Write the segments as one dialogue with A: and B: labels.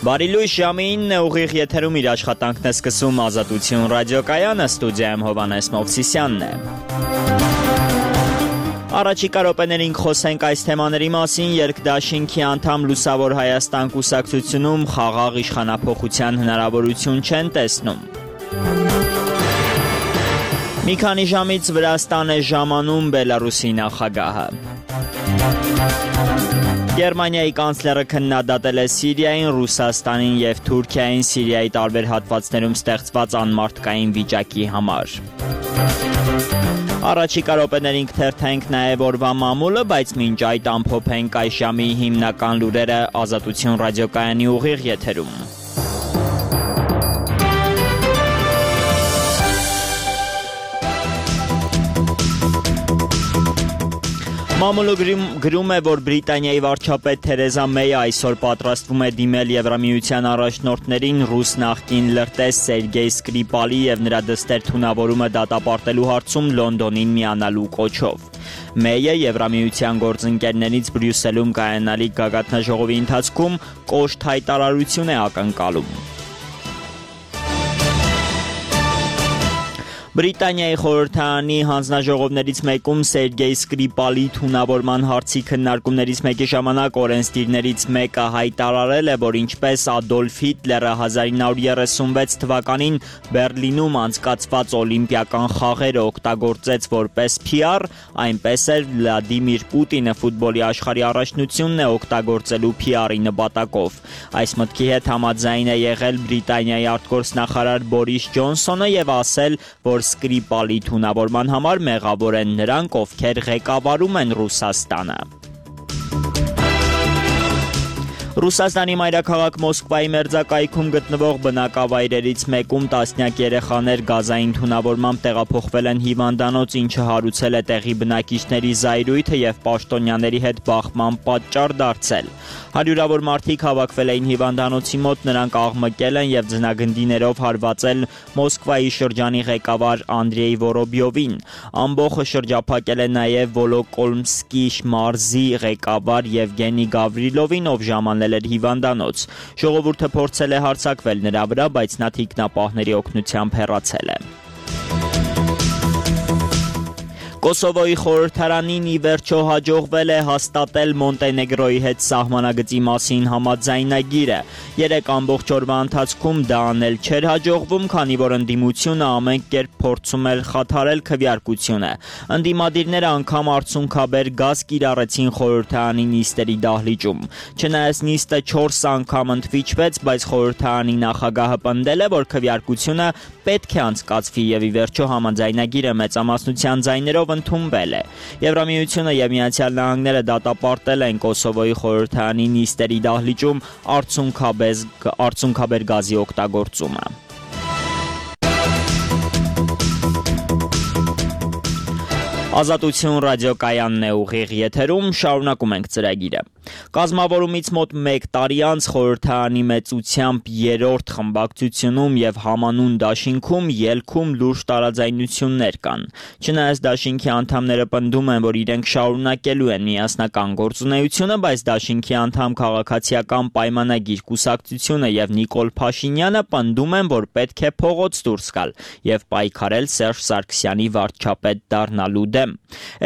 A: Բարի լույս, ժամը 9 ուղիղ եթերում իր աշխատանքն է սկսում Ազատություն ռադիոկայանը, ստուդիայում Հովհաննես Մովսիսյանն է։ Առաջիկա րոպեներին խոսենք այս թեմաների մասին, երկդաշինքի անդամ Լուսավոր Հայաստան կուսակցությունում խաղաղ իշխանափոխության հնարավորություն չեն տեսնում։ Մի քանի ժամից Վրաստան է ժամանում Բելարուսի նախագահը։ Գերմանիայի կանցլերը քննադատել է Սիրիային, Ռուսաստանին և Թուրքիային Սիրիայի տարբեր հատվածներում ստեղծված անմարդկային վիճակի համար։ Առաջիկա րոպեներին կթերթենք նաև օրվա մամուլը, բայց մինչ այդ ամփոփենք այս ժամի հիմնական լուրերը Ազատություն ռադիոկայանի ուղիղ եթերում։ Մամուլը գրում է, որ Բրիտանիայի վարչապետ Թերեզա Մեյը այսօր պատրաստվում է դիմել Եվրամիության առաջնորդներին ռուս նախկին լրտես Սերգեյ Սկրիպալի և նրա դստեր թունավորումը դատապարտելու հարցում Լոնդոնին միանալու կոչով։ Մեյը Եվրամիության գործընկերներից Բրյուսելում կայանալիք գագաթնաժողովի ընթացքում կոշտ հայտարարություն է ակնկալում։ Բրիտանիայի խորհրդարանի հանձնաժողովներից մեկում Սերգեյ Սկրիպալի թունավորման հարցի քննարկումներից մեկի ժամանակ օրենսդիրներից մեկը հայտարարել է, որ ինչպես Ադոլֆ Հիտլերը 1936 թվականին Բեռլինում անցկացված օլիմպիական խաղերը օգտագործեց որպես PR, այնպես էլ Վլադիմիր Պուտինը ֆուտբոլի աշխարհի առաջնությունն է օգտագործելու PR-ի նպատակով։ Այս մտքի հետ համաձայն է եղել Բրիտանիայի արտգործնախարար Բորիս Ջոնսոնը և ասել, որ Սկրիպալի թունավորման համար մեղավոր են նրանք, ովքեր ղեկավարում են Ռուսաստանը։ Ռուսաստանի մայրաքաղաք Մոսկվայի մերձակայքում գտնվող բնակավայրերից մեկում տասնյակ երեխաներ գազային թունավորմամբ տեղափոխվել են հիվանդանոց, ինչը հարուցել է տեղի բնակիչների զայրույթը և պաշտոնյաների հետ բախման պատճառ դարձել։ Հարյուրավոր մարդիկ հավաքվել էին հիվանդանոցի մոտ, նրանք աղմկել են և ձնագնդիներով հարվածել Մոսկվայի շրջանի ղեկավար Անդրեյ Վորոբյովին։ Ամբոխը շրջափակել է նաև Վոլոկոմսկի մարզի ղեկավար Եվգենի Գավրիլովին, ով ժամանել էր հիվանդանոց։ Ժողովուրդը փորձել է հարձակվել նրա վրա, բայց նա թիկնապահների օգնությամբ հեռացել է։ Կոսովոյի խորհրդարանին ի վերջո հաջողվել է հաստատել Մոնտենեգրոյի հետ սահմանագծի մասին համաձայնագիրը։ 3 ամբողջ օրվա ընթացքում դա անել չէր հաջողվում, քանի որ ընդդիմությունը ամեն կերպ փորձում էր խաթարել քվեարկությունը։ Ընդդիմադիրները անգամ արդյունքաբեր գազ կիրառեցին խորհրդարանի նիստերի դահլիճում։ Չնայած նիստը 4 անգամ ընդվիճվեց, բայց խորհրդարանի նախագահը պնդել է, որ քվեարկությունը պետք է անցկացվի և ի վերջո համաձայնագիրը մեծամասնության ձայներով ընդունվել է։ Եվրամիությունը և Միացյալ Նահանգները դատապարտել են Կոսովոյի խորհրդարանի նիստերի դահլիճում արդյունքաբեր գազի օգտագործումը։ Ազատություն ռադիոկայանն է ուղիղ եթերում, շարունակում ենք ծրագիրը։ Կազմավորումից մոտ 1 տարի անց խորհրդարանի մեծությամբ 3-րդ խմբակցությունում և համանուն դաշինքում ելքում լուրջ տարաձայնություններ կան։ Չնայած դաշինքի անդամները պնդում են, որ իրենք շարունակելու են միասնական գործունեությունը, բայց դաշինքի անդամ Քաղաքացիական պայմանագիր կուսակցությունը և Նիկոլ Փաշինյանը պնդում են, որ պետք է փողոց դուրս գալ և պայքարել Սերժ Սարգսյանի վարչապետ դառնալու դեմ։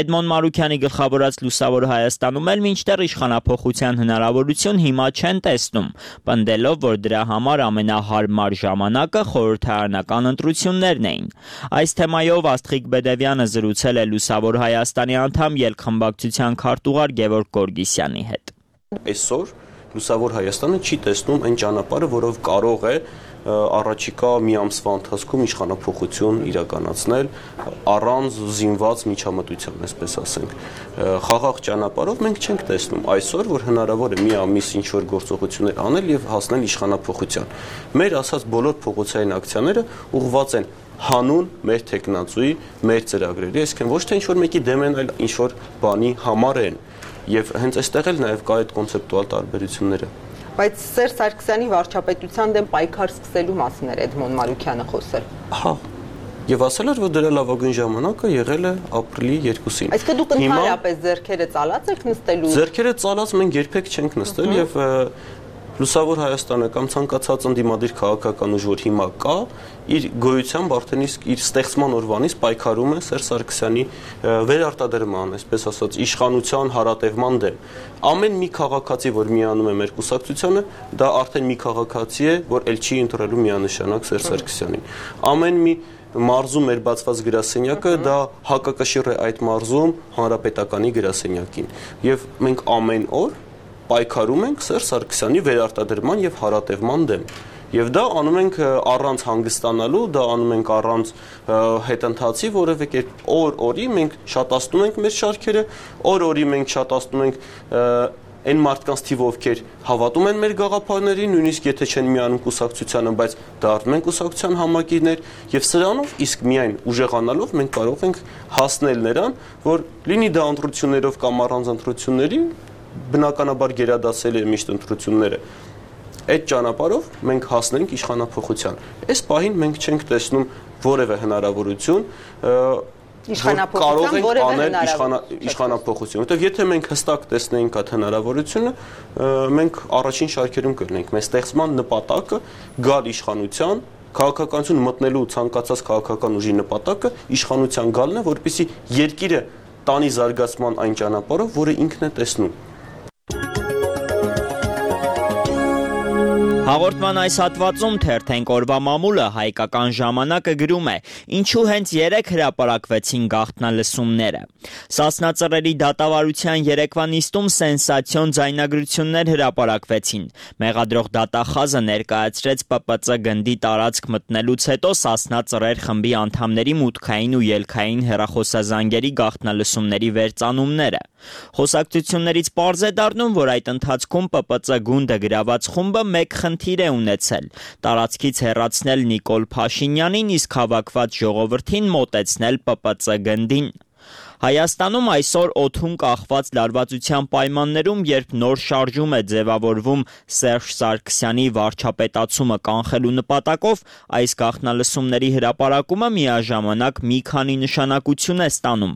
A: Էդմոն Մարուքյանի գլխավորած Լուսավոր Հայաստանում էլ մինչդեռ իշխանափոխության հնարավորություն հիմա չեն տեսնում, պնդելով, որ դրա համար ամենահարմար ժամանակը խորհրդարանական ընտրություններն էին։ Այս թեմայով Աստղիկ Բեդևյանը զրուցել է Լուսավոր Հայաստանի անդամ ելքխմբակցության քարտուղար Գևորգ Գորգիսյանի հետ։
B: Այսօր Լուսավոր Հայաստանը չի տեսնում այն ճանապարհը, որով կարող է առաջիկա մի ամսվա ընթացքում իշխանափոխություն իրականացնել առանց զինված միջամտության, այսպես ասենք։ Խաղաղ ճանապարհով մենք չենք տեսնում այսօր, որ հնարավոր է մի ամիս ինչ-որ գործողություններ անել եւ հասնել իշխանափոխության։ Մեր ասած բոլոր փողոցային ակցիաները ուղղված են հանուն մեր տեխնացուի, մեր ծրագրերի, այսինքն ոչ թե ինչ-որ մեկի դեմ են, այլ ինչ-որ բանի համար են։ Եվ հենց այստեղ էլ նաև կա այդ կոնցեպտուալ տարբերությունները։
C: Բայց Սերժ Սարգսյանի վարչապետության դեմ պայքար սկսելու մասին էր Էդմոն Մարուքյանը խոսել։
B: Հա։ Եվ ասել էր, որ դրա լավագույն ժամանակը եղել է ապրիլի 2-ին։
C: Այսինքն դուք ընդհանրապես ձեռքերը ծալած եք նստելու։
B: Ձեռքերը ծալած մենք երբեք չենք նստել եւ Լուսավոր Հայաստանը կամ ցանկացած ընդդիմադիր քաղաքական ուժ, որ հիմա կա, իր գոյությամբ արդեն իսկ իր ստեղծման օրվանից պայքարում է Սերժ Սարգսյանի վերարտադրման, այսպես ասած, իշխանության հարատևման դեմ։ Ամեն մի քաղաքացի, որ միանում է մեր կուսակցությանը, դա արդեն մի քաղաքացի է, որ ել չի ընտրելու միանշանակ Սերժ Սարգսյանին։ Ամեն մի մարզում մեր բացված գրասենյակը դա հակակշիռ է այդ մարզում հանրապետականի գրասենյակին։ Եվ մենք ամեն օր պայքարում ենք Սերժ Սարգսյանի վերարտադրման եւ հարատևման դեմ։ Եվ դա անում ենք առանց հանգստանալու, դա անում ենք առանց հետընթացի, որևէ կերպ օր-օրի մենք շատացնում ենք մեր շարքերը, օր-օրի մենք շատացնում ենք այն մարդկանց թիվը, ովքեր հավատում են մեր գաղափարներին, նույնիսկ եթե չեն միանում կուսակցությանը, բայց դառնում են կուսակցության համակիրներ, եւ սրանով իսկ միայն ուժեղանալով մենք կարող ենք հասնել նրան, որ լինի դա ընտրություններով կամ առանց ընտրությունների, բնականաբար գերադասել է միշտ ընտրությունները։ Այդ ճանապարհով մենք հասնենք իշխանափոխության։ Այս պահին մենք չենք տեսնում որևէ հնարավորություն
C: Իշխանափոխության որևէ
B: իշխանափոխություն, որտեղ եթե մենք հստակ տեսնեինք այդ հնարավորությունը, մենք առաջին շարքերում կլինենք։ Մեր ստեղծման նպատակը գալ իշխանության, քաղաքականություն մտնելու ցանկացած քաղաքական ուժի նպատակը իշխանության գալն է, որպեսզի երկիրը տանի զարգացման այն ճանապարհով, որը ինքն է տեսնում։
A: Հաղորդման այս հատվածում թերթենք օրվա մամուլը հայկական ժամանակը գրում է. ինչու հենց 3 հրապարակվեցին գաղտնալսումները։ Սասնա Ծռերի դատավարության երեկվա նիստում սենսացիոն ձայնագրություններ հրապարակվեցին։ Մեղադրող դատախազը ներկայացրեց ՊՊԾ գնդի տարածք մտնելուց հետո Սասնա Ծռեր խմբի անդամների մուտքային ու ելքային հեռախոսազանգերի գաղտնալսումների վերծանումները։ Խոսակցություններից պարզ է դառնում, որ այդ ընթացքում ՊՊԾ գունդը գրաված խումբը մեկ խնդիր է ունեցել՝ տարածքից հեռացնել Նիկոլ Փաշինյանին, իսկ հավաքված ժողովրդին մոտեցնել ՊՊԾ գնդին։ Հայաստանում այսօր օդում կախված լարվածության պայմաններում, երբ նոր շարժում է ձևավորվում Սերժ Սարգսյանի վարչապետացումը կանխելու նպատակով, այս գաղտնալսումների հրապարակումը միաժամանակ մի քանի նշանակություն է ստանում։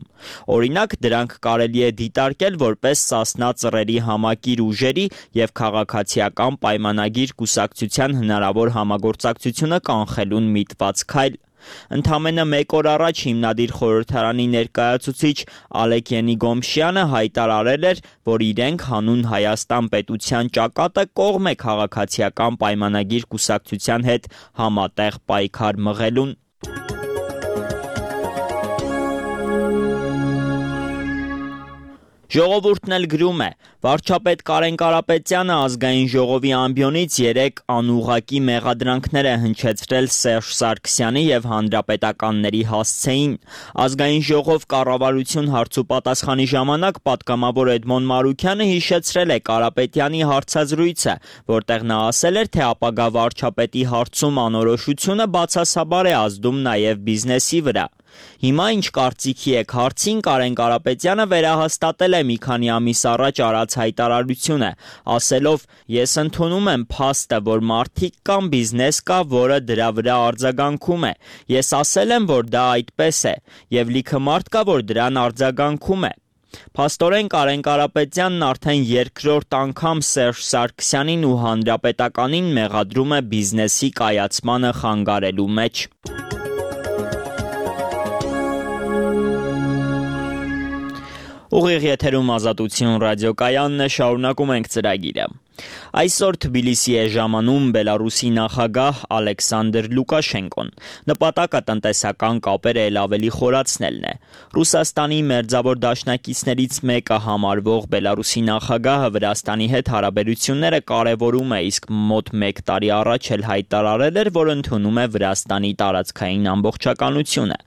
A: Օրինակ, դրանք կարելի է դիտարկել որպես Սասնա Ծռերի համակիր ուժերի և քաղաքացիական պայմանագիր կուսակցության հնարավոր համագործակցությունը կանխելուն միտված քայլ։ Ընդամենը մեկ օր առաջ հիմնադիր խորհրդարանի ներկայացուցիչ Ալեք Ենիգոմշյանը հայտարարել էր, որ իրենք հանուն Հայաստան պետության ճակատը կողմ է քաղաքացիական պայմանագիր կուսակցության հետ համատեղ պայքար մղելուն։ Ժողովուրդն էլ գրում է. վարչապետ Կարեն Կարապետյանը ազգային ժողովի ամբիոնից 3 անուղղակի մեղադրանքներ է հնչեցրել Սերժ Սարգսյանի և հանրապետականների հասցեին։ Ազգային ժողով կառավարություն հարցուպատասխանի ժամանակ պատգամավոր Էդմոն Մարուքյանը հիշեցրել է Կարապետյանի հարցազրույցը, որտեղ նա ասել էր, թե ապագա վարչապետի հարցում անորոշությունը բացասաբար է ազդում նաև բիզնեսի վրա։ Հիմա ինչ կարծիքի եք հարցին Կարեն Կարապետյանը վերահաստատել է մի քանի ամիս առաջ արած հայտարարությունը, ասելով. ես ընդունում եմ փաստը, որ մարդիկ կամ բիզնես կա, որը դրա վրա արձագանքում է։ Ես ասել եմ, որ դա այդպես է, և լիքը մարդ կա, որ դրան արձագանքում է։ Փաստորեն Կարեն Կարապետյանն արդեն երկրորդ անգամ Սերժ Սարգսյանին ու հանրապետականին մեղադրում է բիզնեսի կայացմանը խանգարելու մեջ։ Ուղիղ եթերում Ազատություն ռադիոկայանն է, շարունակում ենք ծրագիրը։ Այսօր Թբիլիսի է ժամանում Բելարուսի նախագահ Ալեքսանդր Լուկաշենկոն։ Նպատակը տնտեսական կապերը ել ավելի խորացնելն է։ Ռուսաստանի մերձավոր դաշնակիցներից մեկը համարվող Բելարուսի նախագահը Վրաստանի հետ հարաբերությունները կարևորում է, իսկ մոտ 1 տարի առաջ էլ հայտարարել էր, որ ընդունում է Վրաստանի տարածքային ամբողջականությունը։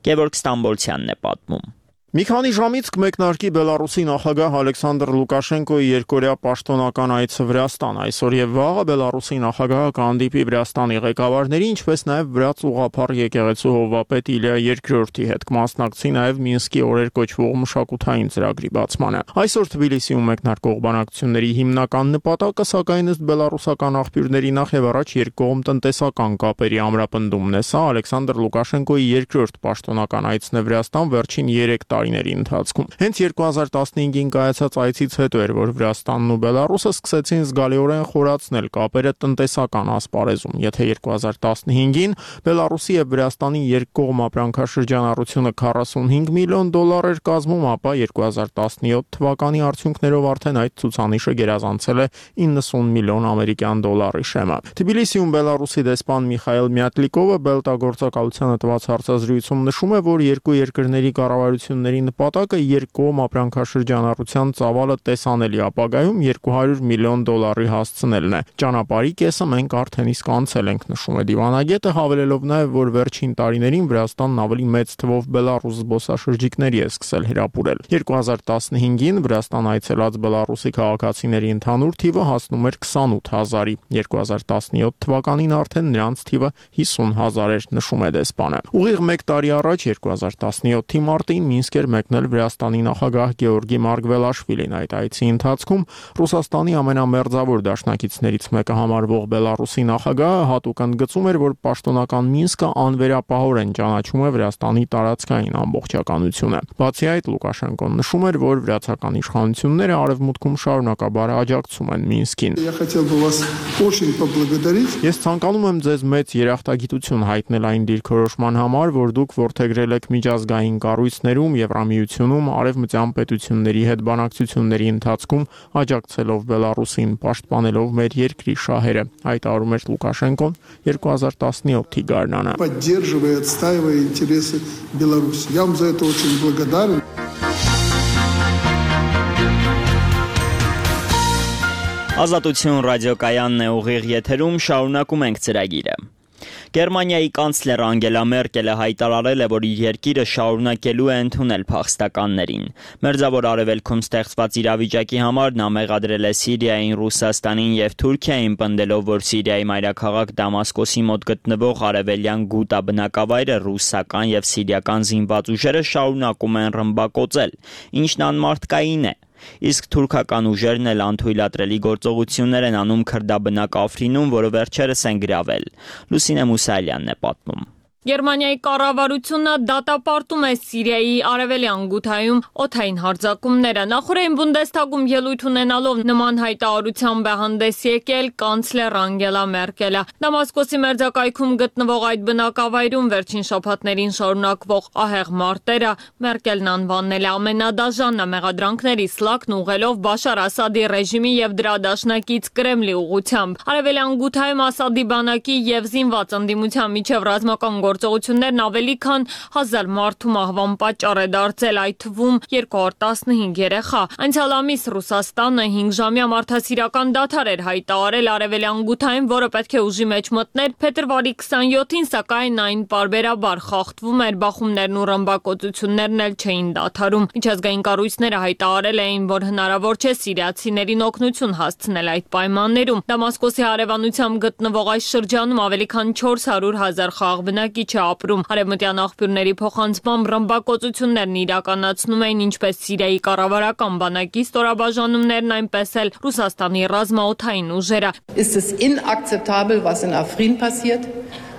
A: Գևորգ Ստամբոլցյանն է պատմում։
D: Մի քանի ժամից կմեկնարկի Բելարուսի նախագահ Ալեքսանդր Լուկաշենկոյի երկօրյա պաշտոնական այցը Վրաստան։ Այսօր եւ վաղը Բելարուսի նախագահը կհանդիպի Վրաստանի ղեկավարների, ինչպես նաեւ վրաց ուղղափառ եկեղեցու հովվապետ Իլիա II-ի հետ, կմասնակցի նաեւ Մինսկի օրեր կոչվող մշակութային ծրագրի բացմանը։ Այսօր Թբիլիսիում մեկնարկող բանակցությունների հիմնական նպատակը, սակայն ըստ բելարուսական աղբյուրների նախ եւ առաջ երկկողմ տնտեսական կապերի ամրապնդումն է։ Սա Ալեքսանդր Լուկաշենկոյի երկրորդ պաշտոնական այցն է Վրաստան վերջին 3 տարի տարիների ընթացքում։ Հենց 2015-ին կայացած այցից հետո էր, որ Վրաստանն ու Բելարուսը սկսեցին զգալիորեն խորացնել կապերը տնտեսական ասպարեզում։ Եթե 2015-ին Բելարուսի եւ Վրաստանի երկկողմ ապրանքաշրջանառությունը 45 միլիոն դոլար էր կազմում, ապա 2017 թվականի արդյունքներով արդեն այդ ցուցանիշը գերազանցել է 90 միլիոն ամերիկյան դոլարի շեմը։ Թբիլիսիում Բելարուսի դեսպան Միխայել Մյատլիկովը Բելտագործակալությանը տված հարցազրույցում նշում է, որ երկու երկրների կառավարությունների նպատակը երկկողմ ապրանքաշրջանառության ծավալը տեսանելի ապագայում 200 միլիոն դոլարի հասցնելն է։ Ճանապարհի կեսը մենք արդեն իսկ անցել ենք, նշում է դիվանագետը, հավելելով նաև, որ վերջին տարիներին Վրաստանն ավելի մեծ թվով Բելարուս զբոսաշրջիկների է սկսել հրապուրել։ 2015-ին Վրաստան այցելած Բելարուսի քաղաքացիների ընդհանուր թիվը հասնում էր 28000-ի, 2017 թվականին արդեն նրանց թիվը 50000 էր, նշում է դեսպանը։ Ուղիղ 1 տարի առաջ 2017-ի մարտին Մինսկ էր մեկնել Վրաստանի նախագահ Գեորգի Մարգվելաշվիլին։ Այդ այցի ընթացքում Ռուսաստանի ամենամերձավոր դաշնակիցներից մեկը համարվող Բելարուսի նախագահը հատուկ ընդգծում էր, որ պաշտոնական Մինսկը անվերապահորեն ճանաչում է Վրաստանի տարածքային ամբողջականությունը։ Բացի այդ, Լուկաշենկոն նշում էր, որ վրացական իշխանությունները արևմուտքում շարունակաբար աջակցում են Մինսկին։ Ես ցանկանում եմ ձեզ մեծ երախտագիտություն հայտնել այն դիրքորոշման համար, որ դուք որդեգրել եք միջազգային կառույցներում, Եվրամիությունում, արևմտյան պետությունների հետ բանակցությունների ընթացքում, աջակցելով Բելարուսին, պաշտպանելով մեր երկրի շահերը, հայտարարում էր Լուկաշենկոն 2017-ի գարնանը։
E: Поддерживая, отстаивая интересы Беларуси. Я вам за это очень благодарен.
A: Ազատություն ռադիոկայանն է, ուղիղ եթերում, շարունակում ենք ծրագիրը։ Գերմանիայի կանցլեր Անգելա Մերկելը հայտարարել է, որ իր երկիրը շարունակելու է ընդունել փախստականներին։ Մերձավոր Արևելքում ստեղծված իրավիճակի համար նա մեղադրել է Սիրիային, Ռուսաստանին եւ Թուրքիային, պնդելով, որ Սիրիայի մայրաքաղաք Դամասկոսի մոտ գտնվող արևելյան Գուտա բնակավայրը ռուսական եւ սիրիական զինված ուժերը շարունակում են ռմբակոծել, ինչն անմարդկային է։ Իսկ թուրքական ուժերն էլ անթույլատրելի գործողություններ են անում քրդաբնակ Աֆրինում, որը վերջերս են գրավել։ Լուսինե Մուսալյանն է պատմում։
F: Գերմանիայի կառավարությունը դատապարտում է Սիրիայի արևելյան Գութայում օդային հարձակումները։ Նախորդին Բունդեսթագում ելույթ ունենալով նման հայտարարությամբ է հանդես եկել կանցլեր Անգելա Մերկելը։ Դամասկոսի մերձակայքում գտնվող այդ բնակավայրում վերջին շաբաթներին շարունակվող ահեղ մարտերը Մերկելն անվանել է ամենադաժան մեղադրանքների սլակն ուղղելով Բաշար Ասադի ռեժիմի եւ դրա դաշնակից Կրեմլի ուղղությամբ։ Արևելյան Գութայում Ասադի բանակի եւ զինված ընդդիմության միջև ռազմական գործողություններն ավելի քան 1000 մարդու մահվան պատճառ է դարձել, այդ թվում 215 երեխա։ Անցյալ ամիս Ռուսաստանը 5-ժամյա մարդասիրական դադար էր հայտարարել արևելյան Գութայում, որը պետք է ուժի մեջ մտներ փետրվարի 27-ին, սակայն այն պարբերաբար խախտվում էր, բախումներն ու ռմբակոծություններն էլ չէին դադարում։ Միջազգային կառույցները հայտարարել էին, որ հնարավոր չէ սիրիացիներին օգնություն հասցնել այդ պայմաններում։ Դամասկոսի հարևանությամբ գտնվող այս շրջանում ավելի քան 400,000 խաղաղբնակիչ է ապրում։ Արևմտյան աղբյուրների փոխանցմամբ ռմբակոծություններն իրականացնում էին ինչպես Սիրիայի կառավարական բանակի ստորաբաժանումներն, այնպես էլ Ռուսաստանի ռազմաօդային ուժերը։
G: Ist es inakzeptabel, was in Afrin passiert?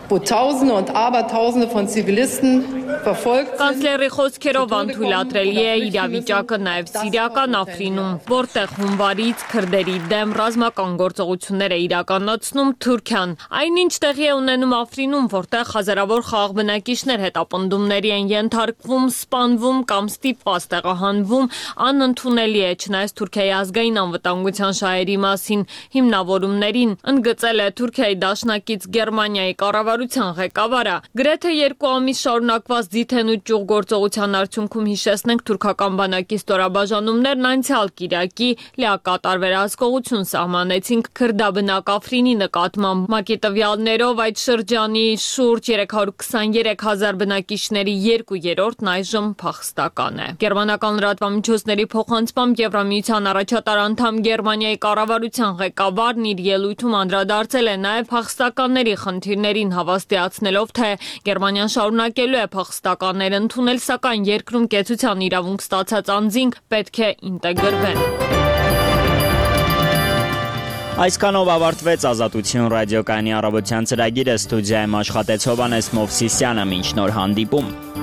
G: Wo Tausende und Abertausende von Zivilisten verfolgt sind.
F: Կանցլերի խոսքերով անթույլատրելի է իրավիճակը նաև Սիրիական Աֆրինում, որտեղ հունվարից քրդերի դեմ ռազմական գործողություններ է իրականացնում Թուրքիան։ Այնինչ տեղի է ունենում Աֆրինում, որտեղ հազարավոր խաղաղ բնակիչներ հետապնդումների են ենթարկվում, սպանվում կամ ստիպված տեղահանվում, անընդունելի է, չնայած Թուրքիայի ազգային անվտանգության շահերի մասին հիմնավորումներին ընդգծել է Թուրքիայի դաշնակից Գերմանիայի կառավարության ղեկավարը։ Գրեթե 2 ամիս շարունակված դիթեն ու ճյուղ գործողության արդյունքում հիշեցնենք թուրքական բանակի ստորաբաժանումներն անցյալ կիրակի լիակատար վերահսկողություն սահմանեցին քրդաբնակ Աֆրինի նկատմամբ։ ՄԱԿ-ի տվյալներով այդ շրջանի շուրջ 323,000 բնակիչների 2/3-ն այժմ փախստական է։ Գերմանական լրատվամիջոցների փոխանցմամբ Եվրամիության առաջատար անդամ Գերմանիայի կառավարության ղեկավարն իր ելույթում անդրադարձել է նաև փախստականների խնդիրներին, հավաստիացնելով, թե Գերմանիան շարունակելու է փախստականներ ընդունել, սակայն երկրում կեցության իրավունք ստացած անձինք պետք է ինտեգրվեն։
A: Այսքանով ավարտվեց Ազատություն ռադիոկայանի առավոտյան ծրագիրը, ստուդիայում աշխատեց Հովհաննես Մովսիսյանը, մինչ նոր հանդիպում։